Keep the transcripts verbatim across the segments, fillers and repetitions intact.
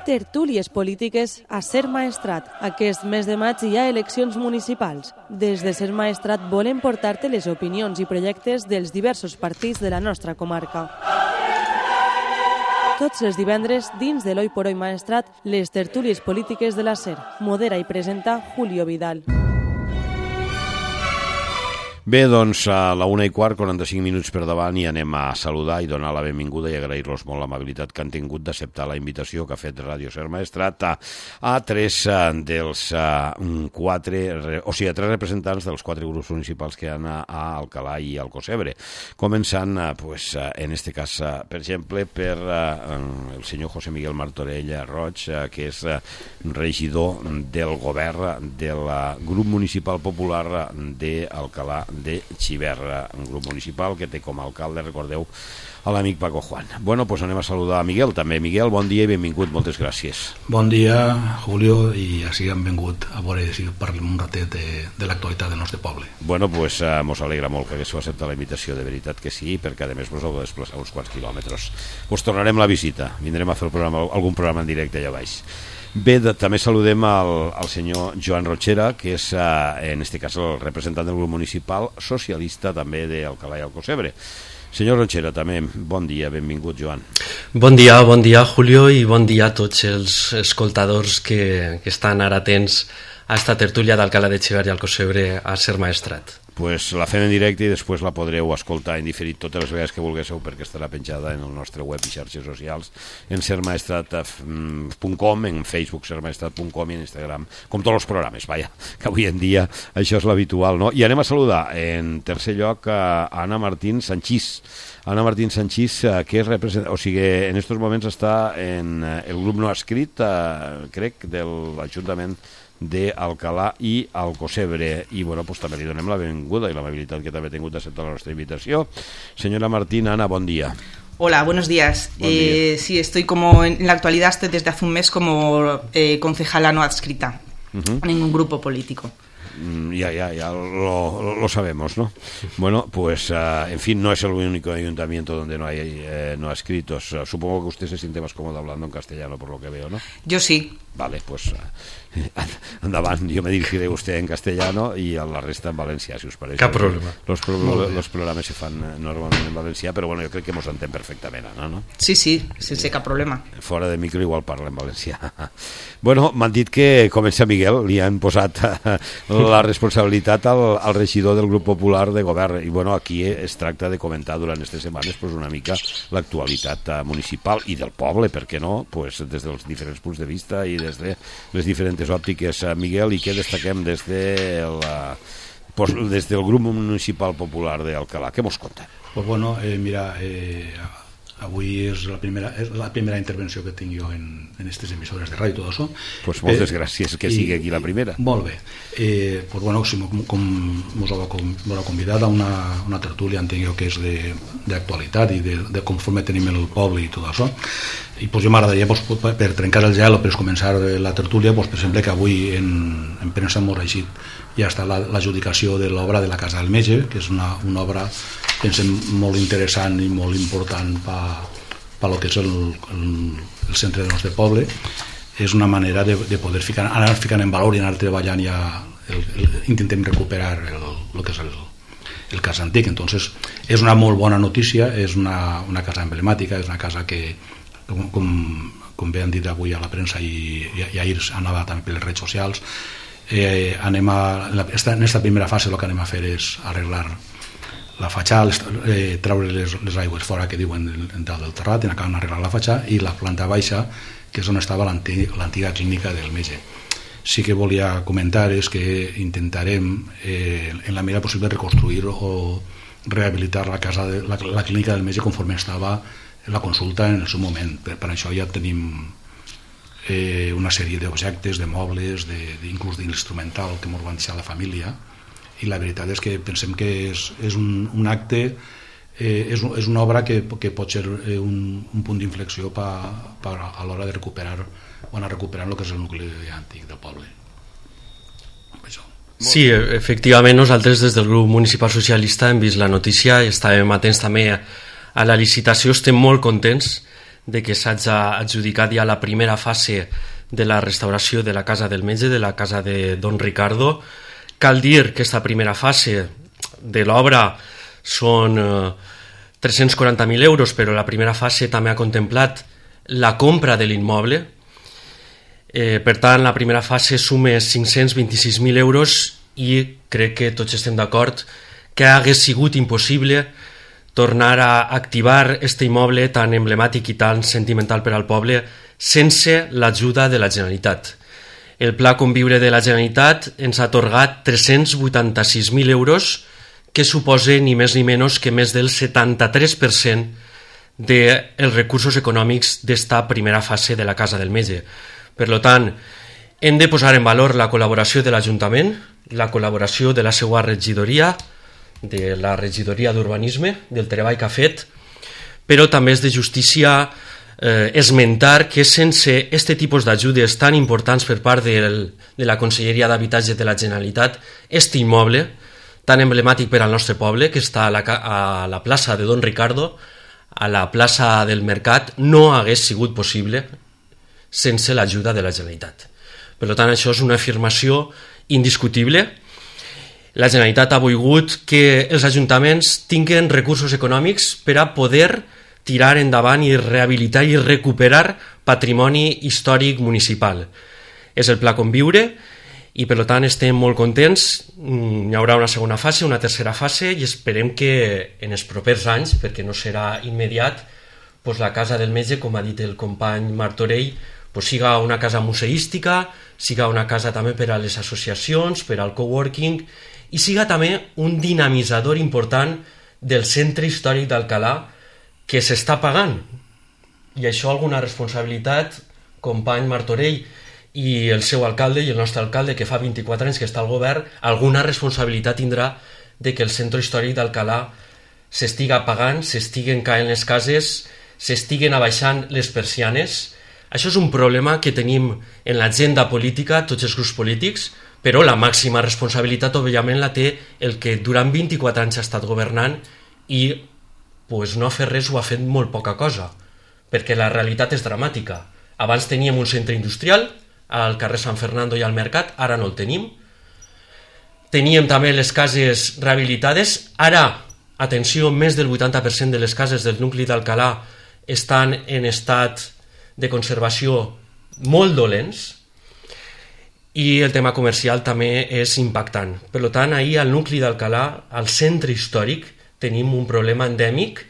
Tertúlies polítiques a Ser Maestrat. Aquest mes de maig hi ha eleccions municipals. Des de Ser Maestrat volem portar-te les opinions i projectes dels diversos partits de la nostra comarca. Tots els divendres, dins de l'Oi por Oi Maestrat, les tertúlies polítiques de la Ser. Modera i presenta Julio Vidal. Bé, doncs a la una i quart, quaranta-cinc minuts per davant, i anem a saludar i donar la benvinguda i agrair-los molt l'amabilitat que han tingut d'acceptar la invitació que ha fet Ràdio Ser Maestrat a, a tres dels uh, quatre, o sigui, a tres representants dels quatre grups municipals que hi ha a Alcalà i Alcocebre. Començant, uh, pues, uh, en este cas, uh, per exemple, per uh, el senyor José Miguel Martorell Roig, uh, que és uh, regidor del govern del uh, grup municipal popular d'Alcalà de Xiverra, un grup municipal que té com a alcalde, recordeu, a l'amic Paco Juan. Bueno, doncs anem a saludar a Miguel també. Miguel, bon dia i benvingut, moltes gràcies. Bon dia, Julio, i així hem vingut a veure si parlem un ratet de, de l'actualitat del nostre poble. Bueno, doncs uh, mos alegra molt que haguéssiu acceptat la invitació, de veritat que sí, perquè a més vos heu de desplaçar uns quants quilòmetres. Us tornarem la visita, vindrem a fer el programa, algun programa en directe allà baix. Bé, de, també saludem al, al senyor Joan Rochera, que és, eh, en este cas, el representant del grup municipal socialista també d'Alcalà i Alcocebre. Senyor Rochera, també, bon dia, benvingut, Joan. Bon dia, bon dia, Julio, i bon dia a tots els escoltadors que, que estan ara atents a esta tertúlia d'Alcalà de Xiverra i Alcocebre a Ser Maestrat. Pues la fem en directe i després la podreu escoltar en diferit totes les vegades que vulguéssiu, perquè estarà penjada en el nostre web i xarxes socials, en ser maestrat punt com, en Facebook ser maestrat punt com i en Instagram, com tots els programes, vaja, que avui en dia això és l'habitual, no? I anem a saludar en tercer lloc a Anna Martín Sanchís. Anna Martín Sanchís, que és represent... o sigui, en aquests moments està en el grup no escrit, eh, crec, de l'Ajuntament d'Alcalà i Alcocebre, i bueno, pues també li donem la benvinguda i l'amabilitat que també ha tingut d'acceptar la nostra invitació. Señora Martín, Ana, bon dia. Hola, buenos días. Buen eh, día. Sí, estoy como en la actualidad, estoy desde hace un mes como eh, concejala no adscrita uh-huh. en un grupo político. Ya, ya, ya lo, lo sabemos, ¿no? Bueno, pues, uh, en fin, no es el único ayuntamiento donde no hay eh, no adscritos. Uh, supongo que usted se siente más cómodo hablando en castellano, por lo que veo, ¿no? Yo sí. Vale, pues uh, andaban, yo me dirigiré a usted en castellano y a la resta en valencià, si us pareix. Cap problema. Los, pro los programes se fan normalment en valencià, però bueno, jo crec que mos entenc perfectament, no? no? Sí, sí, sense cap problema. Fora de micro igual parla en valencià. Bueno, m'han dit que comença Miguel, li han posat la responsabilitat al, al regidor del grup popular de govern, i bueno, aquí es tracta de comentar durant aquestes setmanes pues, una mica l'actualitat municipal i del poble, per què no? Pues, des dels diferents punts de vista i des de les diferents òptiques. Miguel, i què destaquem des, de la, pues, des del grup municipal popular d'Alcalà? Què mos conta? Pues bueno, eh, mira, eh, avui és la primera, és la primera intervenció que tinc jo en, en aquestes emissores de ràdio i tot això. Pues moltes eh, gràcies, que sigui aquí la primera. Molt bé. Eh, pues bueno, com, com us heu convidat a una, una tertúlia, entenc jo que és d'actualitat i de, de conforme tenim el poble i tot això. I pues, jo m'agradaria, pues, per trencar el gel o per començar la tertúlia, pues, per exemple, que avui en, en premsa molt reixit ja està l'adjudicació de l'obra de la Casa del Metge, que és una, una obra, pensem, molt interessant i molt important per pa lo que és el, el, el centre del nostre poble. És una manera de, de poder ficar, anar ficant en valor i anar treballant ja, el, el, intentem recuperar el, el que és el, el cas antic. Entonces, és una molt bona notícia, és una, una casa emblemàtica, és una casa que, com, com, com bé han dit avui a la premsa i, i, i ahir anava també per les redes socials, eh, anem a, en, la, en esta primera fase el que anem a fer és arreglar la fatxada, eh, treure les, les aigües fora que diuen dalt del terrat, i acaben arreglant la fatxada, i la planta baixa, que és on estava l'antiga clínica del metge. Sí que volia comentar és que intentarem eh, en la medida possible reconstruir o rehabilitar la, casa de, la, la clínica del metge conforme estava la consulta en el seu moment. Per, per això ja tenim eh, una sèrie d'objectes, de mobles, de, de, inclús d'instrumental que ens van deixar la família, i la veritat és que pensem que és, és un, un acte, eh, és, és una obra que, que pot ser eh, un, un punt d'inflexió pa, pa, a l'hora de recuperar o anar recuperant el que és el nucli antic del poble. Això. Sí, efectivament, nosaltres des del grup municipal socialista hem vist la notícia i estàvem atents també a la licitació. Estem molt contents de que s'hagi adjudicat ja la primera fase de la restauració de la Casa del Metge, de la casa de Don Ricardo. Cal dir que aquesta primera fase de l'obra són eh, tres-cents quaranta mil euros, però la primera fase també ha contemplat la compra de l'immoble. Eh, per tant, la primera fase suma cinc-cents vint-i-sis mil euros i crec que tots estem d'acord que hagués sigut impossible tornar a activar aquest immoble tan emblemàtic i tan sentimental per al poble sense l'ajuda de la Generalitat. El Pla Conviure de la Generalitat ens ha atorgat tres-cents vuitanta-sis mil euros, que suposa ni més ni menys que més del setanta-tres per cent dels recursos econòmics d'esta primera fase de la Casa del Metge. Per tant, hem de posar en valor la col·laboració de l'Ajuntament, la col·laboració de la seva regidoria, de la regidoria d'Urbanisme, del treball que ha fet, però també és de justícia eh, esmentar que sense aquest tipus d'ajudes tan importants per part del, de la Conselleria d'Habitatge de la Generalitat, aquest immoble tan emblemàtic per al nostre poble, que està a la, a la plaça de Don Ricardo, a la plaça del Mercat, no hagués sigut possible sense l'ajuda de la Generalitat. Per tant, això és una afirmació indiscutible. La Generalitat ha volgut que els ajuntaments tinguin recursos econòmics per a poder tirar endavant i rehabilitar i recuperar patrimoni històric municipal. És el Pla Conviure i per tant estem molt contents. Hi haurà una segona fase, una tercera fase i esperem que en els propers anys, perquè no serà immediat, doncs la Casa del Metge, com ha dit el company Martorell, doncs siga una casa museística, siga una casa també per a les associacions, per al coworking i siga també un dinamitzador important del centre històric d'Alcalà que s'està pagant. I això alguna responsabilitat, company Martorell, i el seu alcalde i el nostre alcalde, que fa vint-i-quatre anys que està al govern, alguna responsabilitat tindrà de que el centre històric d'Alcalà s'estiga pagant, s'estiguen caent les cases, s'estiguen abaixant les persianes. Això és un problema que tenim en l'agenda política, tots els grups polítics, però la màxima responsabilitat, òbviament, la té el que durant vint-i-quatre anys ha estat governant i pues, no ha fet res o ha fet molt poca cosa, perquè la realitat és dramàtica. Abans teníem un centre industrial al carrer Sant Fernando i al Mercat, ara no el tenim. Teníem també les cases rehabilitades, ara, atenció, més del vuitanta per cent de les cases del nucli d'Alcalà estan en estat de conservació molt dolents i el tema comercial també és impactant. Per tant, ahir al nucli d'Alcalà, al centre històric, tenim un problema endèmic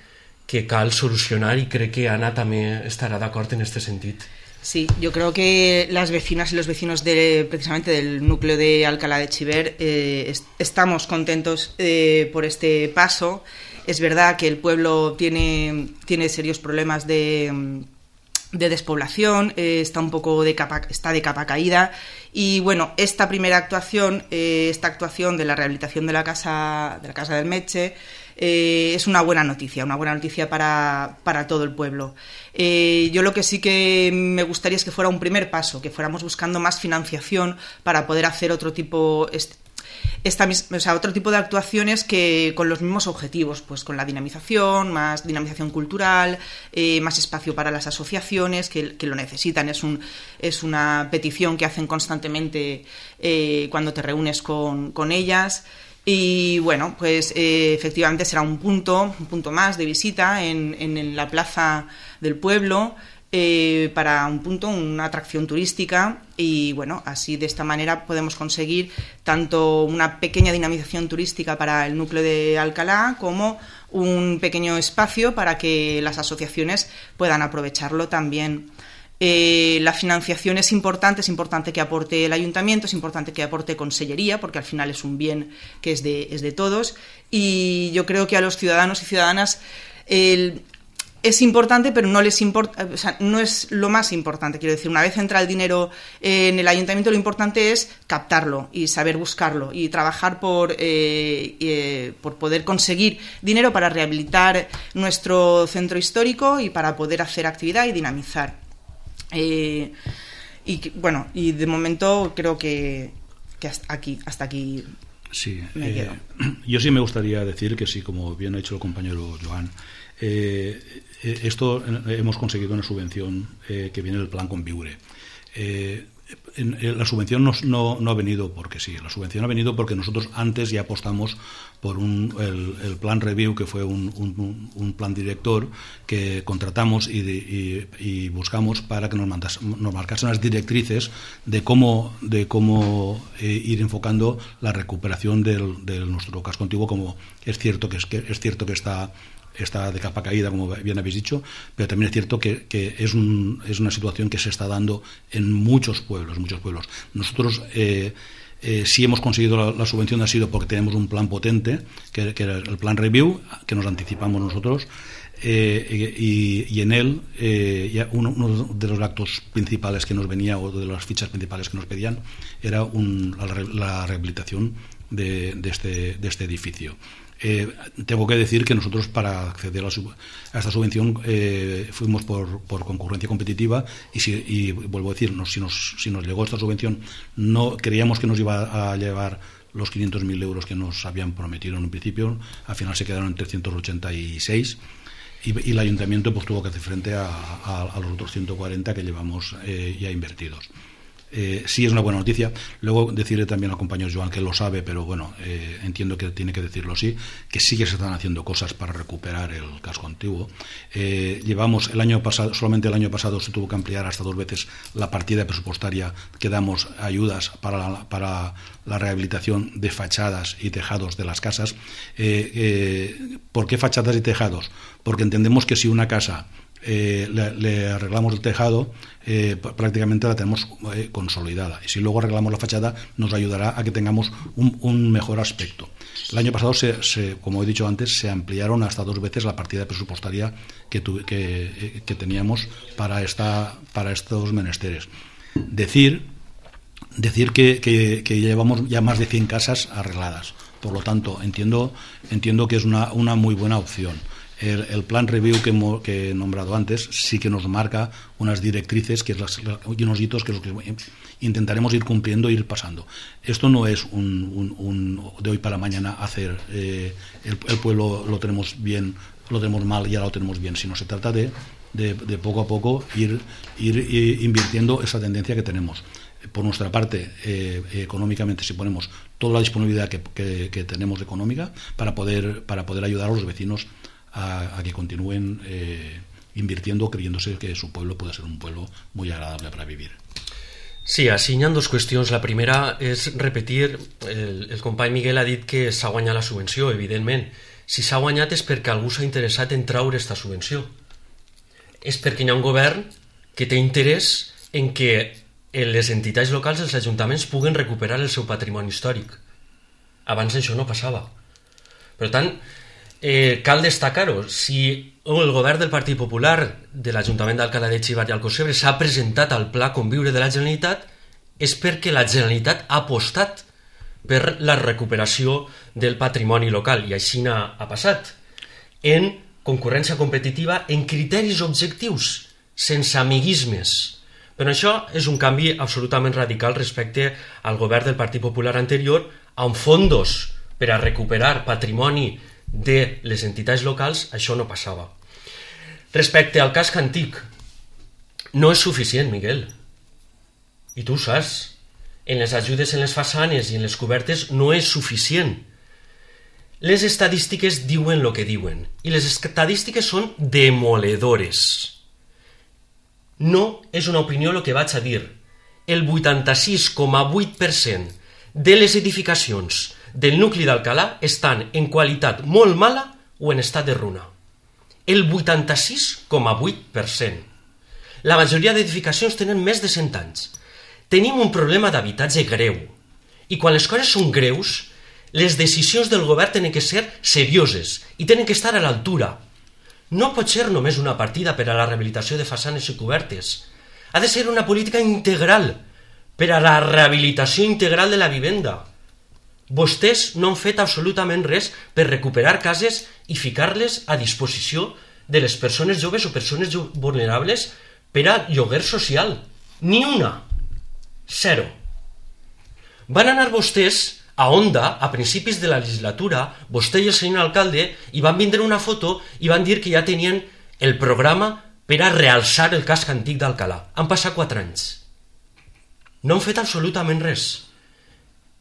que cal solucionar y creo que Ana también estará de acuerdo en este sentido. Sí, yo creo que las vecinas y los vecinos de, precisamente del núcleo de Alcalá de Chiver eh, est estamos contentos eh, por este paso. Es verdad que el pueblo tiene, tiene serios problemas de, de despoblación, eh, está un poco de capa, está de capa caída y bueno, esta primera actuación, eh, esta actuación de la rehabilitación de la casa, de la casa del Metge, Eh, es una buena noticia, una buena noticia para, para todo el pueblo. Eh, yo lo que sí que me gustaría es que fuera un primer paso, que fuéramos buscando más financiación para poder hacer otro tipo, esta, o sea, otro tipo de actuaciones que con los mismos objetivos, pues con la dinamización, más dinamización cultural, eh, más espacio para las asociaciones que, que lo necesitan. Es, un, es una petición que hacen constantemente eh, cuando te reúnes con, con ellas. Y bueno, pues eh, efectivamente será un punto, un punto más de visita en, en, en la plaza del pueblo eh, para un punto, una atracción turística y bueno, así de esta manera podemos conseguir tanto una pequeña dinamización turística para el núcleo de Alcalá como un pequeño espacio para que las asociaciones puedan aprovecharlo también. Eh, la financiación es importante, es importante que aporte el ayuntamiento, es importante que aporte consellería, porque al final es un bien que es de, es de todos y yo creo que a los ciudadanos y ciudadanas el, es importante, pero no les importa, o sea, no es lo más importante. Quiero decir, una vez entra el dinero en el ayuntamiento, lo importante es captarlo y saber buscarlo y trabajar por, eh, eh, por poder conseguir dinero para rehabilitar nuestro centro histórico y para poder hacer actividad y dinamizar. Eh, y bueno, y de momento creo que, que hasta aquí, hasta aquí sí, me eh, quedo. Yo sí me gustaría decir que sí, como bien ha dicho el compañero Joan, Eh, esto hemos conseguido una subvención eh, que viene del Plan Conviure. Eh, En, en, la subvención no, no, no ha venido porque sí, la subvención ha venido porque nosotros antes ya apostamos por un, el, el plan review, que fue un, un, un plan director que contratamos y, de, y, y buscamos para que nos, mandas, nos marcasen las directrices de cómo, de cómo eh, ir enfocando la recuperación del, de nuestro casco antiguo, como es cierto que, es, que, es cierto que está está de capa caída, como bien habéis dicho, pero también es cierto que, que es, un, es una situación que se está dando en muchos pueblos, muchos pueblos. Nosotros eh, eh, si hemos conseguido la, la subvención ha sido porque tenemos un plan potente, que, que era el plan review, que nos anticipamos nosotros, eh, y, y en él eh, ya uno, uno de los actos principales que nos venía, o de las fichas principales que nos pedían, era un, la, la rehabilitación de, de, este, de este edificio. Eh, tengo que decir que nosotros, para acceder a, sub, a esta subvención, eh, fuimos por, por concurrencia competitiva y, si, y vuelvo a decir, no, si, nos, si nos llegó esta subvención, no creíamos que nos iba a llevar los quinientos mil euros que nos habían prometido en un principio. Al final se quedaron en trescientos ochenta y seis y, y el ayuntamiento pues tuvo que hacer frente a, a, a los otros ciento cuarenta que llevamos eh, ya invertidos. Eh, sí es una buena noticia. Luego decirle también al compañero Joan, que lo sabe, pero bueno, eh, entiendo que tiene que decirlo así, que sí que se están haciendo cosas para recuperar el casco antiguo. Eh, llevamos el año pasado, solamente el año pasado se tuvo que ampliar hasta dos veces la partida presupuestaria que damos a ayudas para la, para la rehabilitación de fachadas y tejados de las casas. Eh, eh, ¿Por qué fachadas y tejados? Porque entendemos que si una casa Eh, le, le arreglamos el tejado, eh, prácticamente la tenemos eh, consolidada, y si luego arreglamos la fachada nos ayudará a que tengamos un, un mejor aspecto. El año pasado, se, se, como he dicho antes, se ampliaron hasta dos veces la partida presupuestaria que, tu, que, que teníamos para, esta, para estos menesteres. Decir, decir que, que, que llevamos ya más de cien casas arregladas, por lo tanto entiendo, entiendo que es una, una muy buena opción. El, el plan review que, hemos, que he nombrado antes sí que nos marca unas directrices que es las, y unos hitos que, es lo que intentaremos ir cumpliendo e ir pasando. Esto no es un, un, un de hoy para mañana hacer eh, el, el pueblo lo tenemos bien, lo tenemos mal y ahora lo tenemos bien, sino se trata de, de, de poco a poco ir, ir, ir invirtiendo esa tendencia que tenemos. Por nuestra parte, eh, económicamente, si ponemos toda la disponibilidad que, que, que tenemos económica para poder, para poder ayudar a los vecinos A, a que continúen eh, invirtiendo, creyéndose que su pueblo puede ser un pueblo muy agradable para vivir. Sí, així hi ha dues qüestions. La primera és repetir, el, el company Miguel ha dit que s'ha guanyat la subvenció, evidentment. Si s'ha guanyat és perquè algú s'ha interessat en traure aquesta subvenció. És perquè hi ha un govern que té interès en que les entitats locals, els ajuntaments, puguen recuperar el seu patrimoni històric. Abans això no passava. Per tant, Eh, cal destacar-ho, si el govern del Partit Popular de l'Ajuntament d'Alcalá de Xivert i Alcocebre s'ha presentat al Pla Conviure de la Generalitat és perquè la Generalitat ha apostat per la recuperació del patrimoni local, i així ha passat, en concurrència competitiva, en criteris objectius, sense amiguismes. Però això és un canvi absolutament radical respecte al govern del Partit Popular anterior, amb fondos per a recuperar patrimoni de les entitats locals. Això no passava. Respecte al casc antic, no és suficient, Miguel, i tu ho saps. En les ajudes en les façanes i en les cobertes no és suficient. Les estadístiques diuen el que diuen, i les estadístiques són demoledores. No és una opinió el que vaig a dir. El vuitanta-sis coma vuit per cent de les edificacions del nucli d'Alcalà estan en qualitat molt mala o en estat de runa. El vuitanta-sis coma vuit per cent. La majoria d'edificacions tenen més de cent anys. Tenim un problema d'habitatge greu. I quan les coses són greus, les decisions del govern tenen que ser serioses i tenen que estar a l'altura. No pot ser només una partida per a la rehabilitació de façanes i cobertes. Ha de ser una política integral per a la rehabilitació integral de la vivenda. Vostès no han fet absolutament res per recuperar cases i ficar-les a disposició de les persones joves o persones vulnerables per a lloguer social. Ni una. Zero. Van anar vostès A Onda, a principis de la legislatura, vostè i el senyor alcalde hi van vindre una foto i van dir que ja tenien el programa per a realçar el casc antic d'Alcalà. Han passat quatre anys. No han fet absolutament res.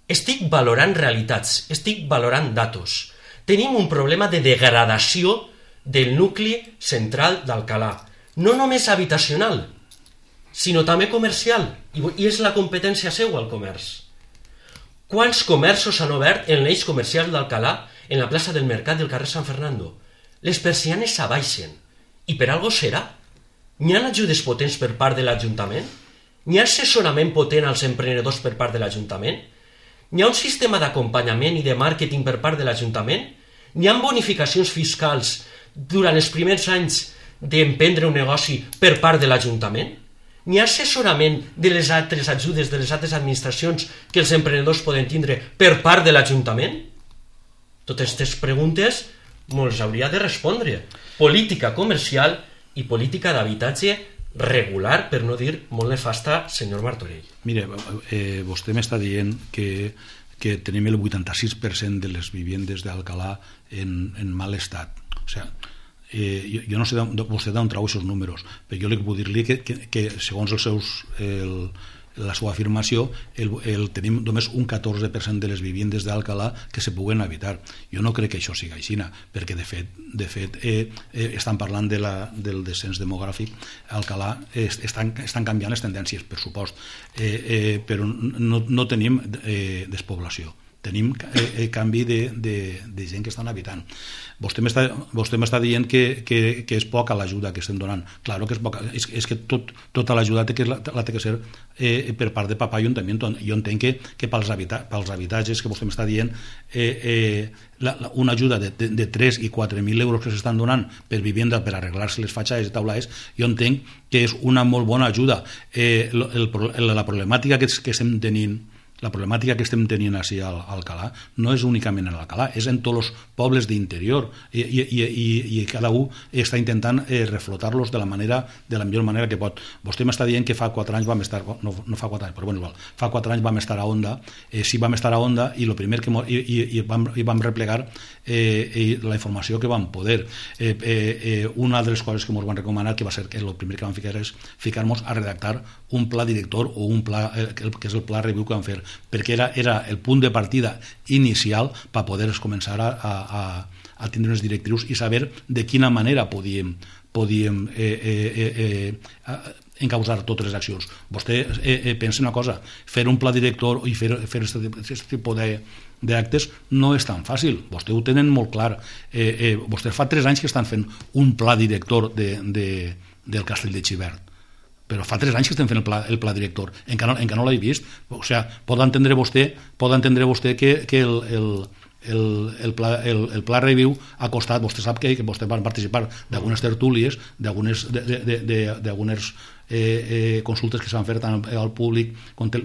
Estic valorant realitats, estic valorant datos. Tenim un problema de degradació del nucli central d'Alcalà. No només habitacional, sinó també comercial. I és la competència seva, el comerç. Quants comerços s'han obert en l'eix comercial d'Alcalà, en la plaça del Mercat del carrer Sant Fernando? Les persianes s'abaixen. I per algo serà? N'hi ha ajudes potents per part de l'Ajuntament? N'hi ha assessorament potent als emprenedors per part de l'Ajuntament? N'hi ha un sistema d'acompanyament i de màrqueting per part de l'Ajuntament? N'hi ha bonificacions fiscals durant els primers anys d'emprendre un negoci per part de l'Ajuntament? N'hi ha assessorament de les altres ajudes de les altres administracions que els emprenedors poden tindre per part de l'Ajuntament? Totes aquestes preguntes ens hauria de respondre. Política comercial i política d'habitatge regular, per no dir molt nefasta, senyor Martorell. Mire, eh, vostè m'està dient que, que tenim el vuitanta-sis per cent de les viviendes d'Alcalà en, en mal estat. O sigui, eh, jo, jo no sé vostè d'on trau aquests números, però jo li puc dir-li que, que, que segons els seus... El, la seva afirmació, el, el, tenim només un catorze per cent de les viviendes d'Alcalà que se puguen habitar. Jo no crec que això sigui així, perquè de fet, de fet eh, eh, estan parlant de la, del descens demogràfic. Alcalà eh, estan, estan canviant les tendències, per supost, eh, eh, però no, no tenim eh, despoblació. Tenim eh, canvi de, de, de gent que estan habitant. Vostè m'està, vostè m'està dient que, que, que és poca l'ajuda que estem donant. Claro que és poca. És, és que tot, tota l'ajuda té que, la, la té que ser eh, per part de papà i ajuntament. Jo entenc que, que pels, habita, pels habitatges que vostè m'està dient eh, eh, la, la, una ajuda de, de, de tres i quatre mil euros que s'estan donant per vivienda, per arreglar-se les fatxades i taulades, jo entenc que és una molt bona ajuda. Eh, el, el, la problemàtica que, que estem tenint La problemàtica que estem tenint així a Alcalà no és únicament en Alcalà, és en tots els pobles d'interior i, i, i, i cada un està intentant eh, reflotar-los de la manera de la millor manera que pot. Vostè m'està dient que fa quatre anys vam estar, no, no fa quatre anys, però bueno, igual, fa quatre anys vam estar a Onda, eh, sí vam estar a Onda i el primer que i, i, i, vam, i vam replegar eh, la informació que vam poder. Eh, eh, eh, una de les coses que ens van recomanar, que va ser que el primer que vam ficar és ficar-nos a redactar un pla director o un pla, eh, que és el pla review que vam fer, perquè era, era el punt de partida inicial per poder començar a, a, a tindre unes directrius i saber de quina manera podíem, podíem eh, eh, eh, encausar totes les accions. Vostè eh, eh, pensa una cosa, fer un pla director i fer, fer aquest tipus de, d'actes no és tan fàcil, vostè ho tenen molt clar. Eh, eh, vostès fa tres anys que estan fent un pla director de, de, del Castell de Xivert, però fa tres anys que estem fent el pla, el pla director, encara no, encara no l'he vist. O sigui, pot entendre vostè, pot entendre vostè que, que el, el, el, el, pla, el, el pla review ha costat, vostè sap que, que vostè va participar d'algunes tertúlies, d'algunes eh, eh, consultes que s'han fet tant al públic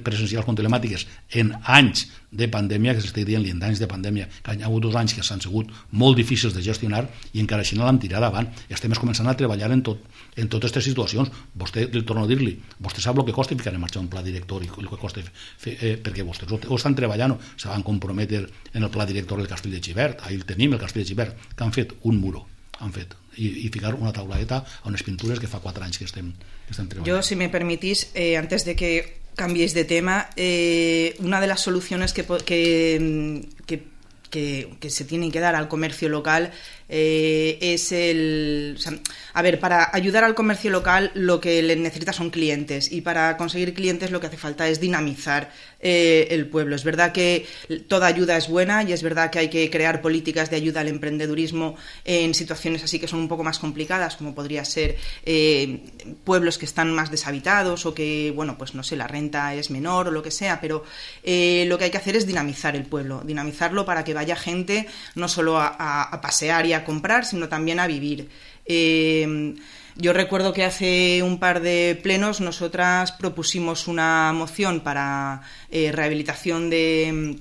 presencials com telemàtiques en anys de pandèmia, que s'estic dient-li en anys de pandèmia, que hi ha hagut dos anys que s'han sigut molt difícils de gestionar i encara així no l'hem tirat davant. Estem començant a treballar en tot, en totes aquestes situacions. Vostè, li torno a dir-li, vostè sap el que costa ficar en marxa un pla director i el que costa fer, eh, perquè vostès ho, ho estan treballant, se van comprometre en el pla director del Castell de Xivert, ahir el tenim, el Castell de Xivert, que han fet un muro, han fet, i, i ficar una tauladeta a unes pintures que fa quatre anys que estem, que estem treballant. Yo, si me permitís, eh, antes de que cambiéis de tema, eh, una de las soluciones que, que, que, que, que se tienen que dar al comercio local eh, es el... O sea, a ver, para ayudar al comercio local lo que le necesita son clientes, y para conseguir clientes lo que hace falta es dinamizar eh, el pueblo. Es verdad que toda ayuda es buena y es verdad que hay que crear políticas de ayuda al emprendedurismo en situaciones así que son un poco más complicadas, como podría ser eh, pueblos que están más deshabitados o que, bueno, pues no sé, la renta es menor o lo que sea, pero eh, lo que hay que hacer es dinamizar el pueblo, dinamizarlo para que vaya gente no solo a, a, a pasear y a comprar, sino también a vivir. Eh, yo recuerdo que hace un par de plenos nosotras propusimos una moción para eh, rehabilitación de,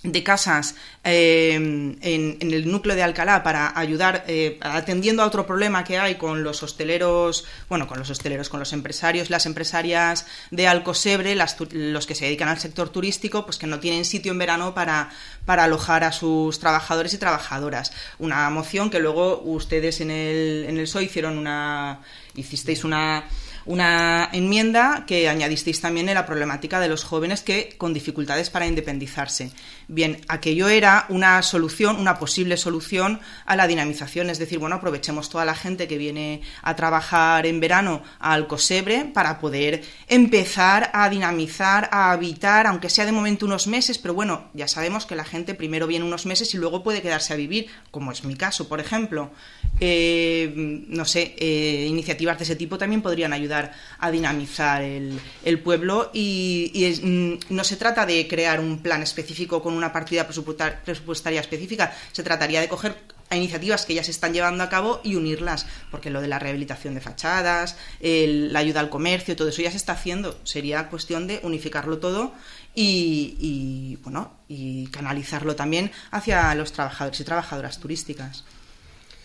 de casas eh, en, en el núcleo de Alcalá para ayudar, eh, atendiendo a otro problema que hay con los hosteleros, bueno, con los hosteleros, con los empresarios, las empresarias de Alcosebre, las, los que se dedican al sector turístico, pues que no tienen sitio en verano para, para alojar a sus trabajadores y trabajadoras. Una moción que luego ustedes en el, en el S O E hicieron una, hicisteis una... una enmienda que añadisteis también en la problemática de los jóvenes que con dificultades para independizarse. Bien, aquello era una solución, una posible solución a la dinamización, es decir, bueno, aprovechemos toda la gente que viene a trabajar en verano a Alcosebre para poder empezar a dinamizar, a habitar, aunque sea de momento unos meses, pero bueno, ya sabemos que la gente primero viene unos meses y luego puede quedarse a vivir, como es mi caso, por ejemplo. Eh, no sé, eh, iniciativas de ese tipo también podrían ayudar a dinamizar el, el pueblo y, y es, no se trata de crear un plan específico con una partida presupuestaria específica, se trataría de coger a iniciativas que ya se están llevando a cabo y unirlas, porque lo de la rehabilitación de fachadas, el, la ayuda al comercio, todo eso ya se está haciendo, sería cuestión de unificarlo todo y, y, bueno, y canalizarlo también hacia los trabajadores y trabajadoras turísticas.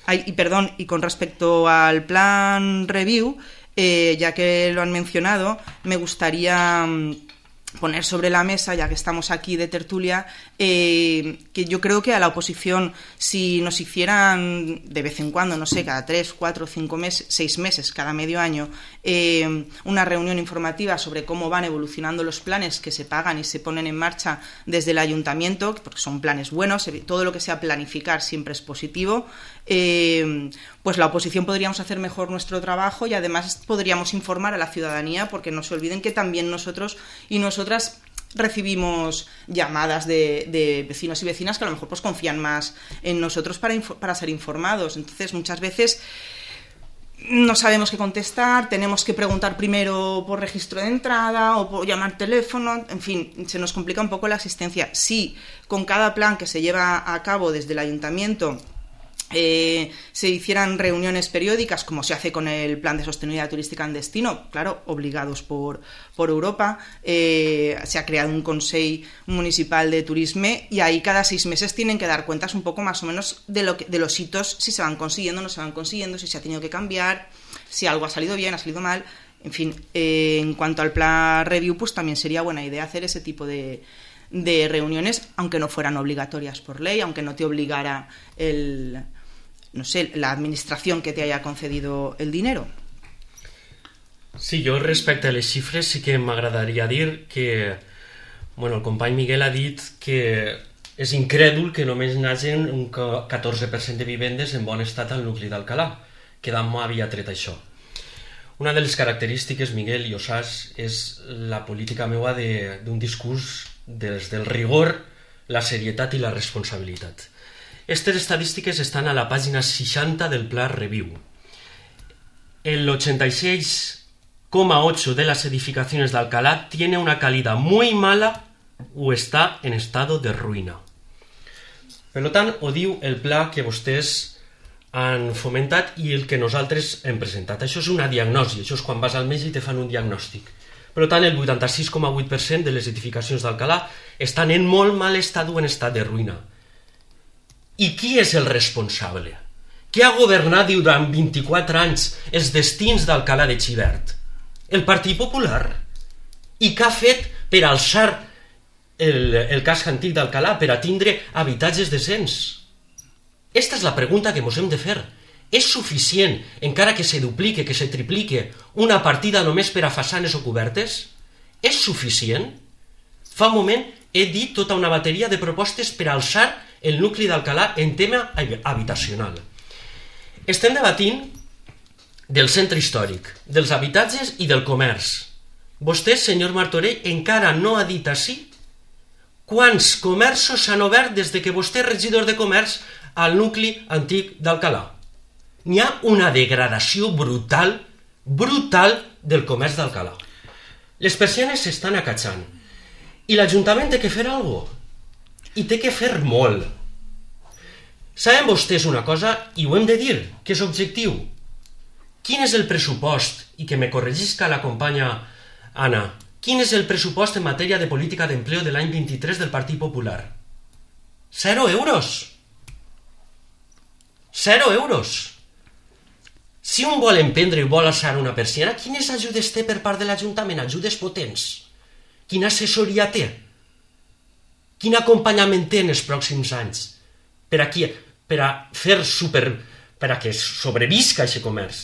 Ay, y perdón, y con respecto al plan review, eh, ya que lo han mencionado, me gustaría poner sobre la mesa, ya que estamos aquí de tertulia, eh, que yo creo que a la oposición, si nos hicieran de vez en cuando, no sé, cada tres, cuatro, cinco meses, seis meses, cada medio año, eh, una reunión informativa sobre cómo van evolucionando los planes que se pagan y se ponen en marcha desde el ayuntamiento, porque son planes buenos, todo lo que sea planificar siempre es positivo, eh, pues la oposición podríamos hacer mejor nuestro trabajo y además podríamos informar a la ciudadanía, porque no se olviden que también nosotros y nosotras recibimos llamadas de, de vecinos y vecinas que a lo mejor pues confían más en nosotros para, para ser informados. Entonces muchas veces no sabemos qué contestar, tenemos que preguntar primero por registro de entrada o por llamar teléfono, en fin, se nos complica un poco la asistencia. Sí, con cada plan que se lleva a cabo desde el ayuntamiento Eh, se hicieran reuniones periódicas como se hace con el plan de sostenibilidad turística en destino, claro, obligados por, por Europa, eh, se ha creado un Consell Municipal de Turisme y ahí cada seis meses tienen que dar cuentas un poco más o menos de, lo que, de los hitos, si se van consiguiendo, no se van consiguiendo, si se ha tenido que cambiar, si algo ha salido bien, ha salido mal, en fin, eh, en cuanto al plan review, pues también sería buena idea hacer ese tipo de de reuniones, aunque no fueran obligatorias por ley, aunque no te obligara el, no sé, la administración que te haya concedido el dinero. Sí, jo respecte a les xifres sí que m'agradaria dir que, bueno, el company Miguel ha dit que és incrèdul que només n'hagin un catorze per cent de vivendes en bon estat al nucli d'Alcalà, que d'amor havia tret això. Una de les característiques, Miguel, i ho saps, és la política meua d'un discurs des del rigor, la serietat i la responsabilitat. Estas estadístiques estan a la pàgina seixanta del Pla Review. El ochenta y seis coma ocho de las edificaciones de Alcalá tiene una calidad muy mala o está en estado de ruïna. Per tant, ho diu el pla que vostès han fomentat i el que nosaltres hem presentat. Això és una diagnosi, això és quan vas al metge i te fan un diagnòstic. Per tant, el vuitanta-sis coma vuit per cent de les edificacions d'Alcalà estan en molt mal estat o en estat de ruïna. I qui és el responsable? Qui ha governat durant vint-i-quatre anys els destins d'Alcalà de Xivert? El Partit Popular. I què ha fet per alçar el, el casc antic d'Alcalà, per a tindre habitatges decents? Esta és la pregunta que ens hem de fer. És suficient, encara que se duplique, que se triplique, una partida només per a façanes o cobertes? És suficient? Fa un moment he dit tota una bateria de propostes per alçar el nucli d'Alcalà en tema habitacional. Estem debatint del centre històric, dels habitatges i del comerç. Vostè, senyor Martorell, encara no ha dit així quants comerços s'han obert des que vostè és regidor de comerç al nucli antic d'Alcalà. N'hi ha una degradació brutal, brutal del comerç d'Alcalà. Les persianes s'estan acatxant i l'Ajuntament té que fer alguna cosa. I té que fer molt. Saben vostès una cosa, i ho hem de dir, que és objectiu. Quin és el pressupost, i que me corregisca la companya Anna, quin és el pressupost en matèria de política d'empleo de l'any vint-i-tres del Partit Popular? Zero euros. Zero euros. Si un vol emprendre i vol alçar una persiana, quines ajudes té per part de l'Ajuntament? Ajudes potents. Quina assessoria té? Quin acompanyament té en els pròxims anys? Per a, qui, per a fer super... per a que sobrevisca aquest comerç.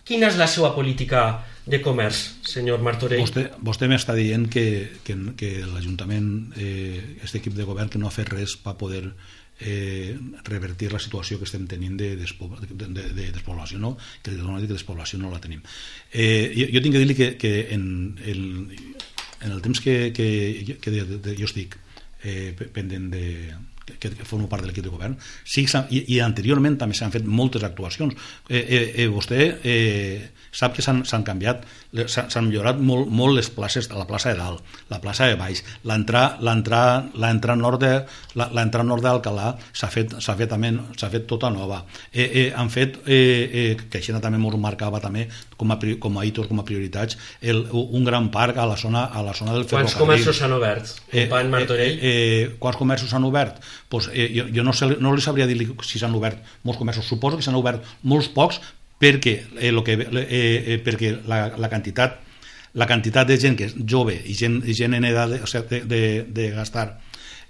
Quina és la seva política de comerç, senyor Martorell? Vostè, vostè m'està dient que, que, que l'Ajuntament, eh, aquest equip de govern, que no ha fet res per poder eh, revertir la situació que estem tenint de, despo, de, de, de despoblació, no? Que de despoblació no la tenim. Eh, jo, jo tinc que dir-li que, que en, el, en el temps que, que, que de, de, jo estic eh, pendent de... que formo part de l'equip de govern, sí, i, i anteriorment també s'han fet moltes actuacions. Eh, eh, eh, vostè eh, sap que s'han canviat, s'han millorat molt, molt les places, la plaça de dalt, la plaça de baix, l'entrada nord de l'entrada nord d'Alcalà s'ha fet, s'ha fet, també, s'ha fet tota nova. Eh, eh, han fet, eh, eh, que això també ens marcava també com a, com a hitos, com a prioritats, el, un gran parc a la zona, a la zona del ferrocarril. Quants comerços s'han obert, company Martorell? Eh, eh, eh, quants comerços s'han obert? Pues, eh, jo, jo no, sé, no li sabria dir si s'han obert molts comerços, suposo que s'han obert molts pocs perquè, eh, lo que, eh, eh, perquè la, la quantitat la quantitat de gent que és jove i gent, i gent en edat de, o sigui, de, de, de gastar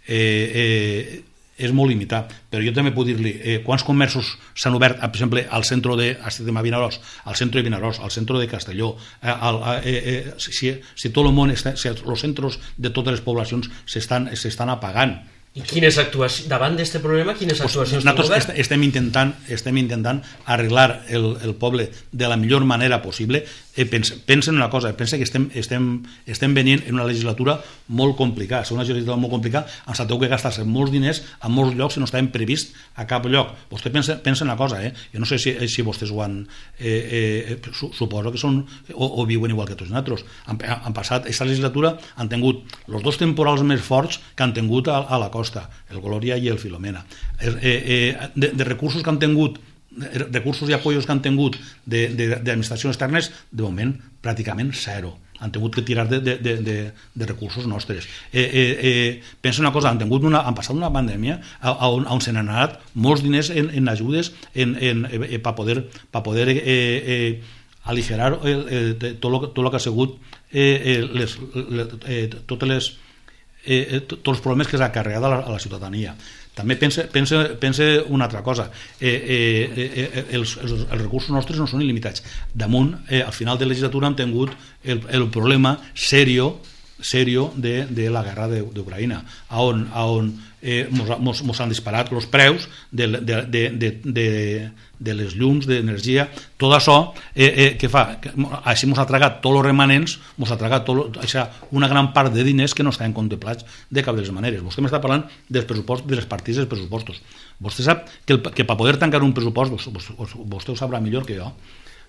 eh, eh, és molt limitat, però jo també puc dir-li eh, quants comerços s'han obert, per exemple, al centre de, a Vinaròs, al centre de Vinaròs, al centre de Castelló, eh, al, eh, eh, si, si tot el món, està, si els centres de totes les poblacions s'estan apagant. I quines actuacions, davant d'aquest problema, quines actuacions pues nosaltres estem intentant, estem intentant arreglar el, el poble de la millor manera possible. Eh, pensa, pensa en una cosa, pensa que estem, estem, estem venint en una legislatura molt complicada, és una legislatura molt complicada, ens ha que gastar-se molts diners a molts llocs que no estaven previst a cap lloc. Vostè pensa, pensa en una cosa, eh? Jo no sé si, si vostès ho han... Eh, eh, suposo que són o, o viuen igual que tots nosaltres. Han, han passat, aquesta legislatura han tingut els dos temporals més forts que han tingut a, a la costa, el Glòria i el Filomena. Eh, eh, de, de recursos que han tingut, recursos i apoyos que han tingut d'administracions externes, de moment pràcticament zero. Han tingut que tirar de, de, de, de recursos nostres. Eh, eh, eh, pensa una cosa, han, tingut una, han passat una pandèmia on, on se n'han anat molts diners en, en ajudes en, en, eh, per poder, pa poder eh, eh, aligerar el, eh, tot, lo, tot lo que ha sigut eh, les, les, eh, totes les Eh, tots els problemes que s'ha carregat a la, a la ciutadania. També pense, pense, pense una altra cosa, eh, eh, eh, els, els, els recursos nostres no són il·limitats. Damunt, eh, al final de la legislatura hem tingut el, el problema serio, serio de, de la guerra d'Ucraïna, on, on eh, mos, mos, mos han disparat els preus de, de, de, de, de, de les llums, d'energia, tot això eh, eh, que fa, que, així mos ha tragat tots els remanents, mos ha tragat tot, això, una gran part de diners que no estaven contemplats de cap de les maneres. Vostè m'està parlant dels pressupostos, de les partides dels pressupostos. Vostè sap que, el, que per poder tancar un pressupost, vostè, vostè ho sabrà millor que jo,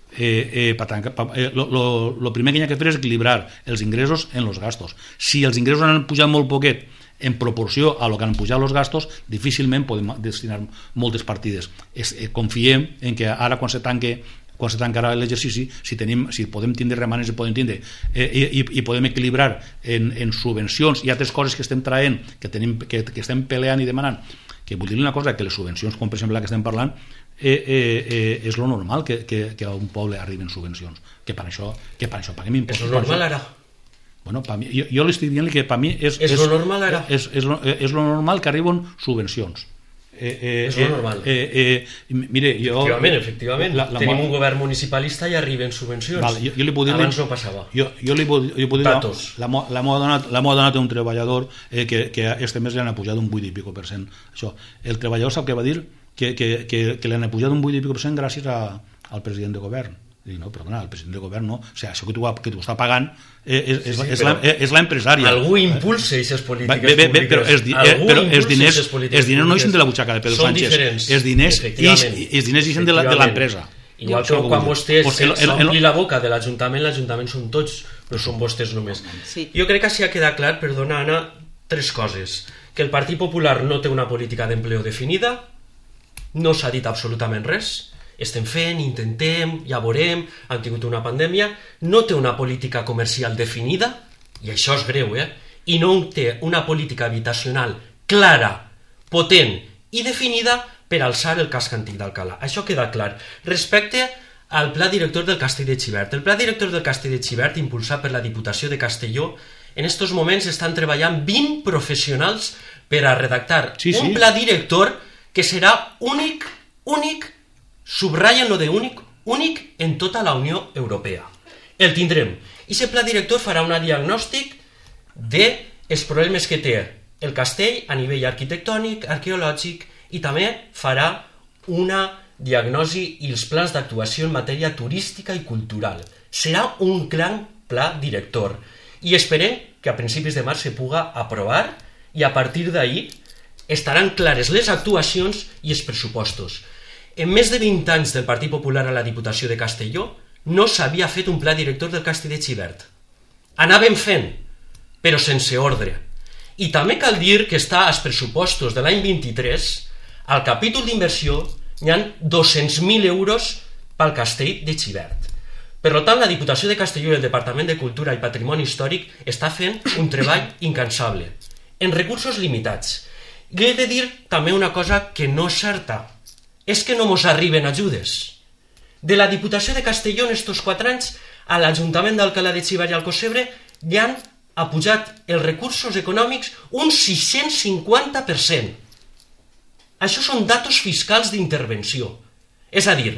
Eh, eh, pa tancar, pa, eh, lo, lo, lo primer que hi ha que fer és equilibrar els ingressos en els gastos. Si els ingressos han pujat molt poquet en proporció a lo que han pujat els gastos, difícilment podem destinar moltes partides. Es, eh, confiem en que ara quan se tanque quan se tancarà l'exercici, si, tenim, si podem tindre remanents, podem tindre eh, i, i podem equilibrar en, en subvencions i altres coses que estem traient, que, tenim, que, que estem peleant i demanant, que vull dir una cosa, que les subvencions, com per exemple la que estem parlant, Eh, eh, eh, és lo normal que, que, que a un poble arriben subvencions, que per això, que per això paguem impostos. És lo normal ara? Bueno, mi, jo, jo li estic dient que per mi és, és, és lo normal ara? És, és, lo, és lo normal que arriben subvencions. Eh, eh, és lo normal. Eh, eh, mire, jo, efectivament, efectivament. La, la tenim un govern municipalista i arriben subvencions. Vale, jo, jo li puc dir, abans no passava. Jo, jo li puc, jo puc dir, la, la m'ho ha donat, donat un treballador eh, que, que este mes li han pujat un vuit i pico per cent. Això. El treballador sap què va dir? Que, que, que, que li han pujat un vuit i pico per cent gràcies a, al president de govern. I no, perdona, el president de govern no. O sigui, això que tu, que tu està pagant eh, és, sí, sí, és, la, és l'empresària. Algú impulsa aquestes polítiques bé, bé, bé, públiques. Però els, eh, però els diners, els diners no ixen de la butxaca de Pedro Són Sánchez. Diferents. Els diners, ix, els diners ixen de l'empresa. Igual que quan vostès s'ompli la boca de l'Ajuntament, l'Ajuntament són tots, no són vostès només. Sí. Jo crec que sí ha quedat clar, perdona Anna, tres coses. Que el Partit Popular no té una política d'empleo definida, no s'ha dit absolutament res, estem fent, intentem, ja veurem, han tingut una pandèmia, no té una política comercial definida, i això és greu, eh? I no té una política habitacional clara, potent i definida per alçar el casc antic d'Alcalà. Això queda clar. Respecte al pla director del Castell de Xivert. El pla director del Castell de Xivert, impulsat per la Diputació de Castelló, en estos moments estan treballant vint professionals per a redactar sí, sí. un pla director que serà únic, únic, subratllen lo de únic, únic en tota la Unió Europea. El tindrem. I aquest pla director farà un diagnòstic dels problemes que té el castell a nivell arquitectònic, arqueològic, i també farà una diagnosi i els plans d'actuació en matèria turística i cultural. Serà un gran pla director i esperem que a principis de març se puga aprovar i a partir d'ahir estaran clares les actuacions i els pressupostos. En més de vint anys del Partit Popular a la Diputació de Castelló no s'havia fet un pla director del Castell de Xivert. Anàvem fent, però sense ordre. I també cal dir que està als pressupostos de l'any vint-i-tres, al capítol d'inversió, hi ha dos-cents mil euros pel Castell de Xivert. Per tant, la Diputació de Castelló i el Departament de Cultura i Patrimoni Històric està fent un treball incansable, en recursos limitats. I he de dir també una cosa que no és certa, és que no mos arriben ajudes. De la Diputació de Castelló en estos quatre anys, a l'Ajuntament d'Alcalà de Xivert i Alcocebre hi han apujat els recursos econòmics un sis-cents cinquanta per cent. Això són datos fiscals d'intervenció. És a dir,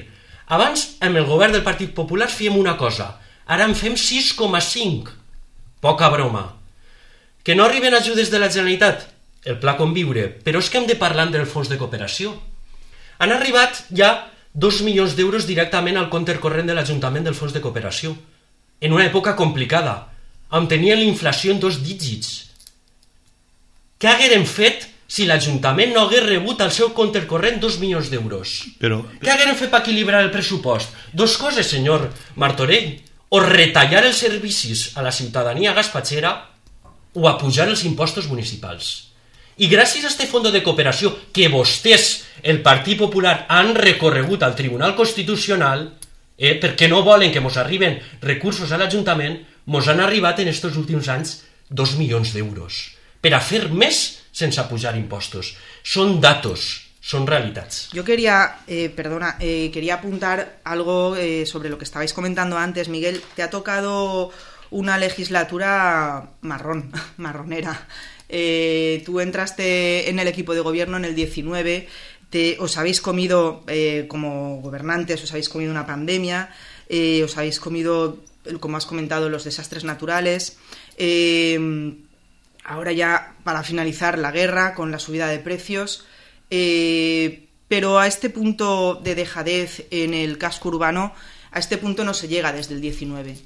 abans amb el govern del Partit Popular fèiem una cosa, ara en fem sis coma cinc. Poca broma. Que no arriben ajudes de la Generalitat? El pla Conviure, però és que hem de parlar del fons de cooperació. Han arribat ja dos milions d'euros directament al compte corrent de l'Ajuntament del fons de cooperació, en una època complicada, on tenien l'inflació en dos dígits. Què haguérem fet si l'Ajuntament no hagués rebut al seu compte corrent dos milions d'euros? Però... Què haguérem fet per equilibrar el pressupost? Dos coses, senyor Martorell. O retallar els servicis a la ciutadania gaspatxera o apujar els impostos municipals. I gràcies a este fons de cooperació que vostès, el Partit Popular, han recorregut al Tribunal Constitucional, eh, perquè no volen que mos arriben recursos a l'Ajuntament, mos han arribat en estos últims anys dos milions d'euros per a fer més sense apujar impostos. Són datos, son realitats. Yo quería, eh, perdona, eh, quería apuntar algo eh, sobre lo que estabais comentando antes, Miguel. Te ha tocado una legislatura marrón, marronera. Eh, tú entraste en el equipo de gobierno en el diecinueve, te, os habéis comido, eh, como gobernantes, os habéis comido una pandemia, eh, os habéis comido, como has comentado, los desastres naturales. Eh, ahora ya, para finalizar, la guerra con la subida de precios. Eh, pero a este punto de dejadez en el casco urbano, a este punto no se llega desde el diecinueve.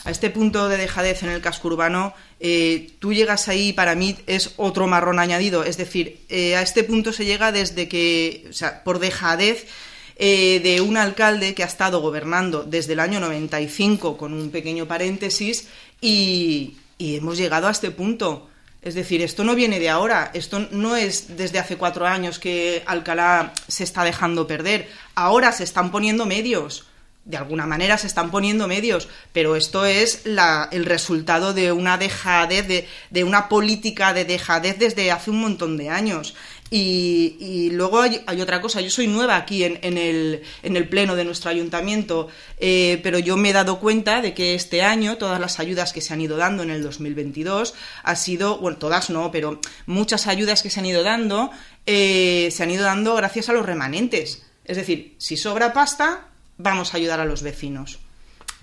A este punto de dejadez en el casco urbano, eh, tú llegas ahí y para mí es otro marrón añadido. Es decir, eh, a este punto se llega desde que, o sea, por dejadez eh, de un alcalde que ha estado gobernando desde el año noventa y cinco, con un pequeño paréntesis, y, y hemos llegado a este punto. Es decir, esto no viene de ahora, esto no es desde hace cuatro años que Alcalá se está dejando perder. Ahora se están poniendo medios. De alguna manera se están poniendo medios, pero esto es la, el resultado de una dejadez, de, de una política de dejadez desde hace un montón de años. Y, y luego hay, hay otra cosa, yo soy nueva aquí en, en, el, en el pleno de nuestro ayuntamiento, eh, pero yo me he dado cuenta de que este año todas las ayudas que se han ido dando en el dos mil veintidós ha sido, bueno, todas no, pero muchas ayudas que se han ido dando, eh, se han ido dando gracias a los remanentes. Es decir, si sobra pasta, vamos a ayudar a los vecinos.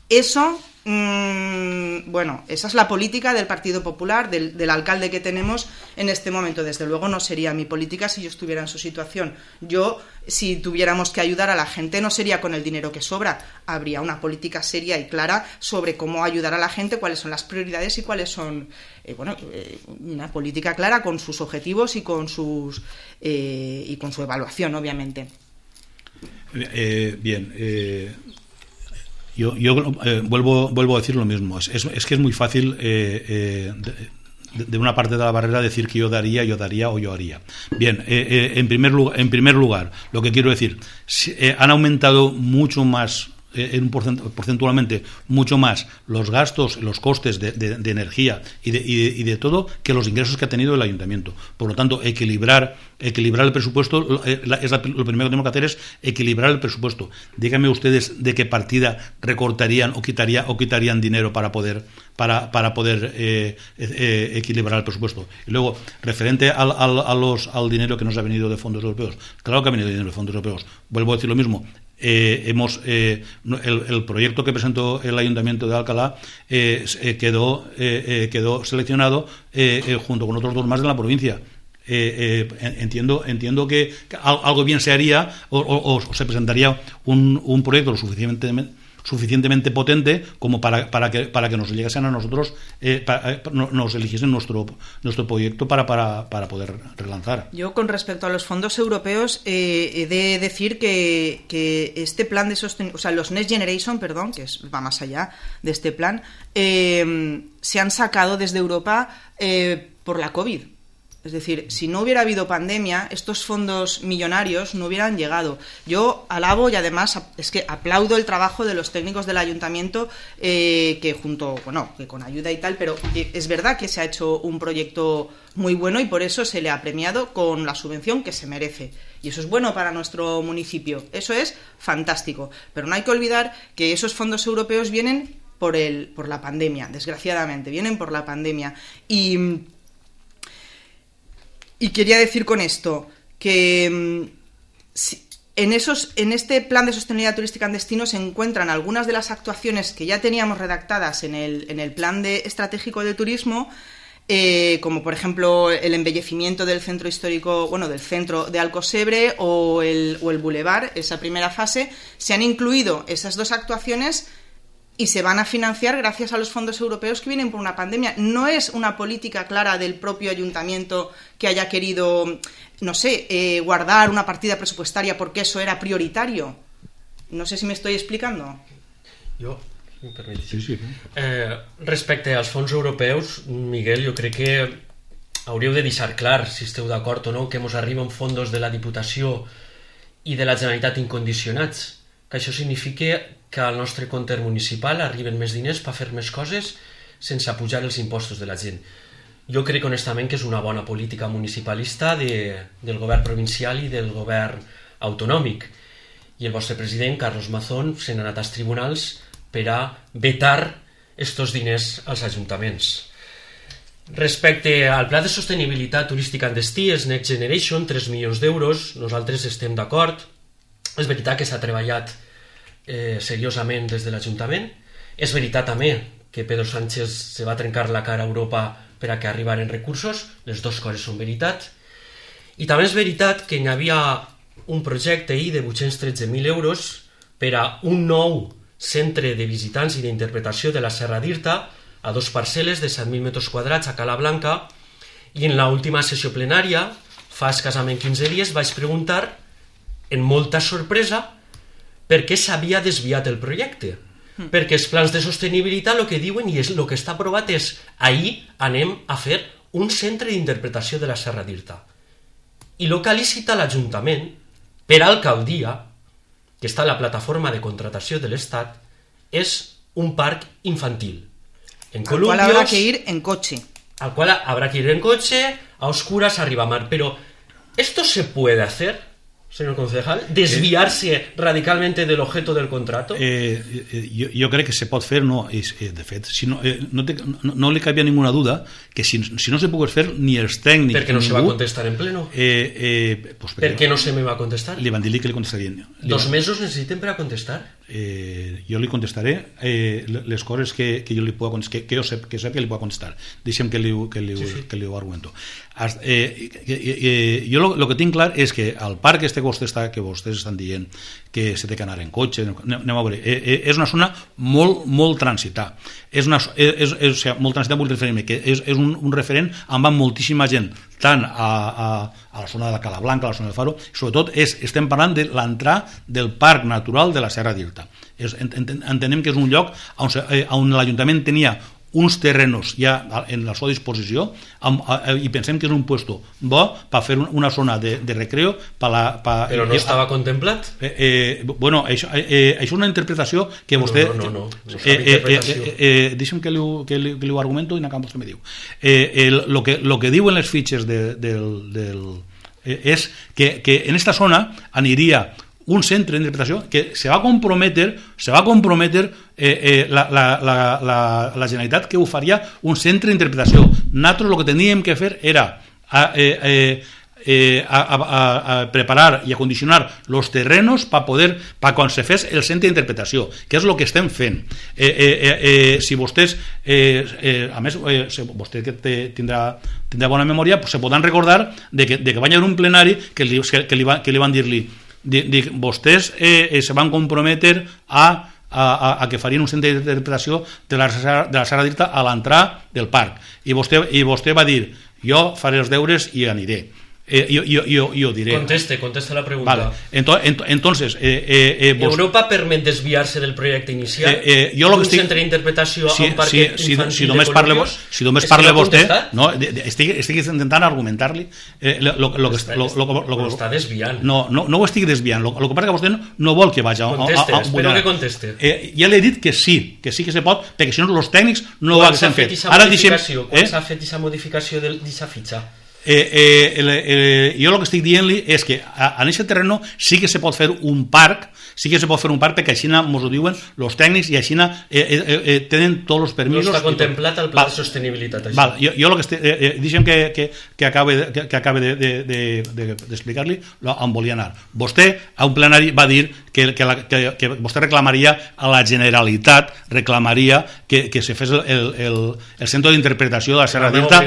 Eso, mmm, bueno, esa es la política del Partido Popular, del, del alcalde que tenemos en este momento. Desde luego no sería mi política si yo estuviera en su situación. Yo, si tuviéramos que ayudar a la gente, no sería con el dinero que sobra. Habría una política seria y clara sobre cómo ayudar a la gente, cuáles son las prioridades y cuáles son, eh, bueno, eh, una política clara con sus objetivos y con sus eh, y con su evaluación, obviamente. Eh, bien, eh, yo, yo eh, vuelvo, vuelvo a decir lo mismo. Es, es, es que es muy fácil eh, eh, de, de una parte de la barrera decir que yo daría, yo daría o yo haría. Bien, eh, eh, en, primer lugar, en primer lugar, lo que quiero decir, eh, han aumentado mucho más en un porcentualmente mucho más los gastos, los costes de, de, de energía y de, y, de, y de todo que los ingresos que ha tenido el ayuntamiento. Por lo tanto, equilibrar, equilibrar el presupuesto, es la, lo primero que tenemos que hacer es equilibrar el presupuesto. Díganme ustedes de qué partida recortarían o, quitaría, o quitarían dinero para poder, para, para poder eh, eh, equilibrar el presupuesto. Y luego, referente al, al, a los, al dinero que nos ha venido de fondos europeos, claro que ha venido dinero de fondos europeos. Vuelvo a decir lo mismo. Eh, hemos eh, el, el proyecto que presentó el Ayuntamiento de Alcalá eh, eh, quedó, eh, eh, quedó seleccionado eh, eh, junto con otros dos más de la provincia. Eh, eh, entiendo entiendo que algo bien se haría o, o, o se presentaría un, un proyecto lo suficientemente suficientemente potente como para, para, que, para que nos llegasen a nosotros, eh, para, nos eligiesen nuestro, nuestro proyecto para, para, para poder relanzar. Yo, con respecto a los fondos europeos, eh, he de decir que, que este plan de sostenibilidad, o sea, los Next Generation, perdón, que es, va más allá de este plan, eh, se han sacado desde Europa eh, por la COVID. Es decir, si no hubiera habido pandemia, estos fondos millonarios no hubieran llegado. Yo alabo y además es que aplaudo el trabajo de los técnicos del ayuntamiento eh, que junto, bueno, que con ayuda y tal, pero es verdad que se ha hecho un proyecto muy bueno y por eso se le ha premiado con la subvención que se merece. Y eso es bueno para nuestro municipio. Eso es fantástico. Pero no hay que olvidar que esos fondos europeos vienen por el, por la pandemia, desgraciadamente, vienen por la pandemia. Y Y quería decir con esto que en, esos, en este plan de sostenibilidad turística en destino se encuentran algunas de las actuaciones que ya teníamos redactadas en el, en el plan de, estratégico de turismo, eh, como por ejemplo el embellecimiento del centro histórico, bueno, del centro de Alcosebre o el, o el bulevar, esa primera fase. Se han incluido esas dos actuaciones y se van a financiar gracias a los fondos europeos que vienen por una pandemia. No es una política clara del propio ayuntamiento que haya querido, no sé, eh, guardar una partida presupuestaria porque eso era prioritario. No sé si me estoy explicando. Jo, si em permetis. Sí, sí. Eh, respecte als fons europeus, Miguel, jo crec que hauríeu de deixar clar, si esteu d'acord o no, que ens arriben fondos de la Diputació i de la Generalitat incondicionats, que això significa que al nostre compte municipal arriben més diners per fer més coses sense apujar els impostos de la gent. Jo crec honestament que és una bona política municipalista de, del govern provincial i del govern autonòmic. I el vostre president, Carlos Mazón, se n'ha anat als tribunals per a vetar estos diners als ajuntaments. Respecte al pla de sostenibilitat turística en destí, és Next Generation, tres milions d'euros, nosaltres estem d'acord. És veritat que s'ha treballat eh, seriosament des de l'Ajuntament. És veritat també que Pedro Sánchez se va trencar la cara a Europa per a que arribaren recursos. Les dues coses són veritat. I també és veritat que hi havia un projecte ahir de vuit-cents tretze mil euros per a un nou centre de visitants i d'interpretació de la Serra d'Irta a dos parcel·les de set mil metres quadrats a Cala Blanca, i en l'última sessió plenària, fa escassament quinze dies, vaig preguntar en molta sorpresa per què s'havia desviat el projecte. Mm. Perquè els plans de sostenibilitat el que diuen i és el que està aprovat és ahir anem a fer un centre d'interpretació de la Serra d'Irta. I el que ha licitat l'Ajuntament per alcaldia, que està a la plataforma de contratació de l'Estat, és un parc infantil. En al cual habrá que ir en coche. Al cual habrá que ir en coche, a oscuras, arriba a mar. Pero, ¿esto se puede hacer, señor concejal? ¿Desviarse eh, radicalmente del objeto del contrato? Eh, eh, jo, jo crec que se pot fer, no, és, eh, de fet, si no, eh, no, te, no, no li cabia ninguna duda que si, si no se pogués fer ni els tècnics... Per què no ningú, se va contestar en pleno? Eh, eh, pues per què no se me va contestar? Li van dir que li contestarien. Dos mesos necessiten per a contestar? Eh, jo li contestaré eh, les coses que, que jo li puc que, que jo sap, que sap que li puc contestar. Deixem que li, que li, sí, sí. que li ho argumento. Hasta, eh, eh, eh, jo el que tinc clar és que al parc este que vostès, està, que vostès estan dient que se té que anar en cotxe, anem a veure, eh, eh, és una zona molt, molt transitada. És una, és, és, és, o sigui, molt transitada vull referir-me, que és, és un, un referent on va moltíssima gent, tant a, a, a la zona de la Cala Blanca, a la zona del Faro, sobretot és, estem parlant de l'entrada del parc natural de la Serra d'Irta. És, ent, ent, entenem que és un lloc on, on l'Ajuntament tenia uns terrenos ja en la seva disposició amb, a, i pensem que és un puesto bo per fer una zona de, de recreo per la, per, però no eh, estava contemplat? Eh, eh, bueno, això, eh, això és una interpretació que vostè no, no, no, no, no eh, eh, eh, eh, deixa'm que li, que, li, que li ho argumento i n'acabo vostè me diu eh, el, lo, que, lo que diuen les fitxes de, del, del, eh, és que, que en esta zona aniria un centre d'interpretació que se va comprometer, se va comprometer eh, eh, la, la, la, la, la Generalitat que ho faria un centre d'interpretació. Nosaltres el que teníem que fer era a, eh, eh, eh, a, a, a preparar i acondicionar els terrenos per poder, per quan se fes el centre d'interpretació, que és el que estem fent. Eh, eh, eh, si vostès, eh, eh, a més, eh, vostè que te, tindrà, tindrà bona memòria, pues se podran recordar de que, de que va haver un plenari que li, que li, va, que li van dir-li Dic, vostès eh, eh, se van comprometer a, a, a que farien un centre d'interpretació de la, de la Serra d'Irta a l'entrada del parc i vostè, i vostè va dir jo faré els deures i aniré eh, jo, jo, jo, jo diré conteste, conteste la pregunta vale. entonces, entonces eh, eh, eh, vos... Europa permet desviar-se del projecte inicial eh, eh, jo d'un estic... centre d'interpretació sí, a un parc sí, infantil si, si només de parle, columpios si només parle vostè no, estic, estic intentant argumentar-li eh, lo, lo, lo, està, lo, lo, lo, lo, està desviant no, no, no ho estic desviant lo, lo que passa que vostè no, no vol que vagi conteste, a, a, a, espero que conteste eh, ja li he dit que sí, que sí que se pot perquè si no els tècnics no ho haguessin fet ara deixem quan s'ha fet aquesta modificació d'aquesta fitxa Eh, eh, el, eh, jo el que estic dient-li és que a, en aquest terreno sí que se pot fer un parc sí que se pot fer un parc perquè així ens ho diuen els tècnics i així eh, eh, eh, tenen tots els permisos no està contemplat el pla val, de sostenibilitat això. Val, jo, jo el que estic, eh, eh, deixem que, que, que acabe, que, que acabe de, de, de, de, d'explicar-li on volia anar. Vostè a un plenari va dir que, que, la, que, que vostè reclamaria a la Generalitat reclamaria que, que se fes el, el, el centre d'interpretació de la Serra d'Irta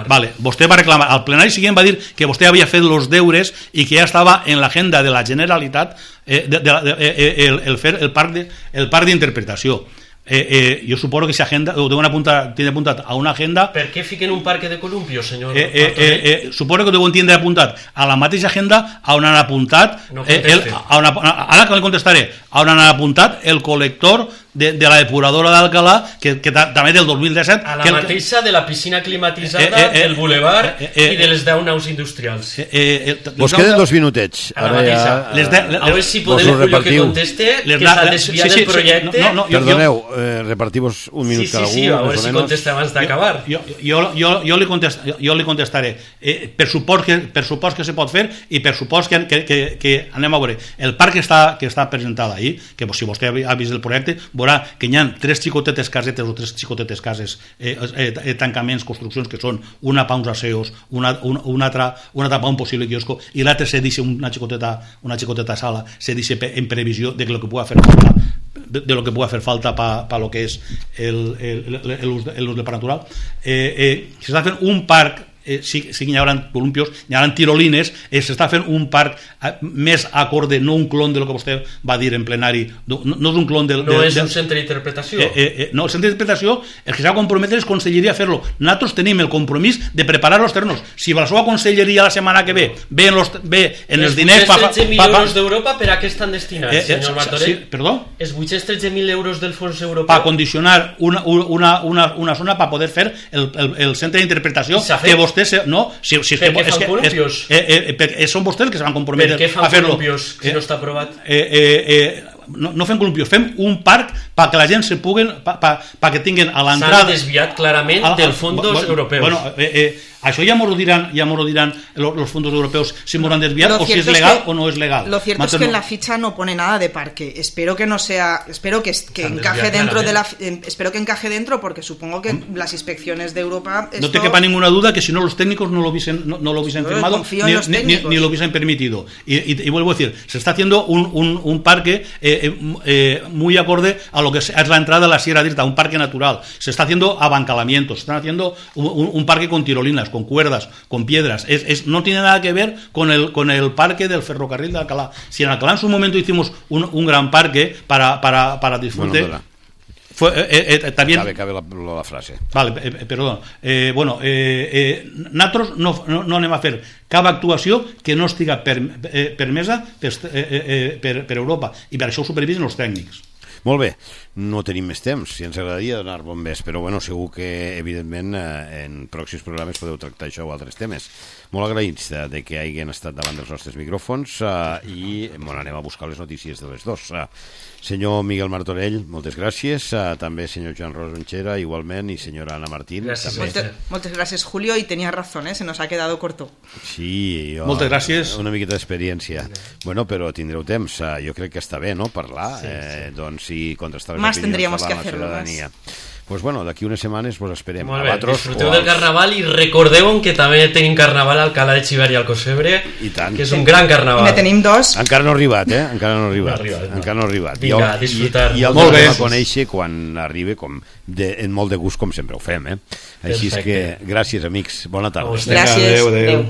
vale, vostè va reclamar, al plenari siguiente va dir que vostè havia fet els deures i que ja estava en l'agenda de la Generalitat eh, de, de, de, de, el, el fer el parc de, el parc d'interpretació Eh, eh, jo suposo que si agenda ho deuen apuntar, tiene apuntat a una agenda. Per què fiquen un parque de columpios, senyor? Eh, eh, eh, eh, suposo que ho deuen tindre apuntat a la mateixa agenda on han apuntat no eh, el, a una, ara que li contestaré on han apuntat el col·lector de, de la depuradora d'Alcalà que, que també del dos mil disset a la que, mateixa de la piscina climatitzada eh, eh, eh, del Boulevard eh, eh, i de les deu naus industrials eh, eh, eh, vos queden dos minutets a la mateixa ja, les de, les, a veure si podem Julio que conteste que s'ha desviat sí, sí, del projecte no, no, no, perdoneu, eh, repartim-vos un minut sí, cada sí, sí, un a veure si contesta abans d'acabar jo, jo, jo, jo, li contest, jo li contestaré eh, per, supòs que, per supòs que se pot fer i per supòs que, que, que, que anem a veure el parc que està, que està presentat ahir que si vostè ha vist el projecte veurà que hi ha tres xicotetes casetes o tres xicotetes cases eh, eh, eh, tancaments, construccions que són una pa uns aseos, una, una, una altra una altra pa un possible quiosco i l'altre se deixa una xicoteta, una xicoteta sala se deixa en previsió de lo que pugui fer falta de, de lo que pugui fer falta pa, pa lo que és l'ús del parc natural eh, eh, s'està fent un parc Eh, sí, sí que hi haurà columpios, hi haurà tirolines, eh, s'està fent un parc eh, més acorde, no un clon de lo que vostè va dir en plenari, no, no és un clon del... No del, és del, un centre d'interpretació. Eh, eh, eh, no, el centre d'interpretació, el que s'ha de comprometre és conselleria a fer-lo. Nosaltres tenim el compromís de preparar els terrenos. Si la seva conselleria la setmana que ve ve en, los, ve en els, els diners... Els vuit-cents tretze mil euros d'Europa, per a què estan destinats, eh, eh, senyor Martorell? Sí, perdó? Els vuit-cents tretze mil euros del fons europeu... Per condicionar una, una, una, una zona per poder fer el, el, el centre d'interpretació que vostè... Se, no, si Si, si per és què que, fan és columpios? Que, eh, eh, eh, són vostès els que se van comprometre a fer-lo. Per què fan columpios si eh, no està aprovat? Eh, eh, eh, no, no fem columpios, fem un parc perquè la gent se puguen, perquè tinguin a l'entrada... S'han desviat clarament a, a, del fondos bueno, europeus. Bueno, eh, eh, això ja m'ho diran, ja m'ho diran los fondos europeos si m'ho han desviat o si es legal que, o no es legal. Lo cierto Mato es que no. En la ficha no pone nada de parque. Espero que no sea, espero que, que encaje dentro de la, espero que encaje dentro porque supongo que ¿Mm? Las inspecciones de Europa. Esto... No te quepa ninguna duda que si no los técnicos no lo hubiesen, no, no lo hubiesen firmado ni, ni, ni, ni lo hubiesen permitido. Y, y, y vuelvo a decir, se está haciendo un, un, un parque eh, eh, muy acorde a lo que es la entrada de la Sierra d'Irta, un parque natural. Se está haciendo abancalamientos, se están haciendo un, un, un parque con tirolinas, con cuerdas, con piedras, es, es, no tiene nada que ver con el, con el parque del ferrocarril de Alcalá. Si en Alcalá en su momento hicimos un, un gran parque para, para, para disfrute, bueno, fue, eh, eh, también... Cabe, cabe la, la frase. Vale, eh, perdón. Eh, bueno, eh, eh, nosaltres no, no, no anem a fer cap actuació que no estiga per, eh, permesa per, eh, eh, per, per Europa i per això ho supervisen els tècnics. Molt bé, no tenim més temps, si ens agradaria donar bombers, però bueno, segur que evidentment en pròxims programes podeu tractar això o altres temes. Molt agraïts de que hagin estat davant dels nostres micròfons i bueno, anem a buscar les notícies de les dos. Senyor Miguel Martorell, moltes gràcies, també senyor Joan Rosonchera igualment, i senyora Ana Martín gràcies. Moltes, moltes gràcies, Julio, y tenía razón, ¿eh? Se nos ha quedado corto. Sí, jo, moltes gràcies. Una miqueta d'experiència. Bueno, però tindreu temps, jo crec que està bé, no?, parlar, sí, eh, sí. doncs, i contrastar les más opinions tendríamos de que la hacerlo ciutadania. Pues bueno, d'aquí unes setmanes pues esperem. Molt bé, disfruteu del carnaval i recordeu que també tenim carnaval a Alcalá de Xivert i al Cosebre, que és un gran carnaval. I ne tenim dos. Encara no ha arribat, eh? Encara no ha arribat. No ha arribat, no. Encara no ha arribat. Vinga, a disfrutar. I, i el vam a conèixer quan arribi, com de, en molt de gust, com sempre ho fem, eh? Així és que, gràcies, amics. Bona tarda. Gràcies. Adéu, adéu.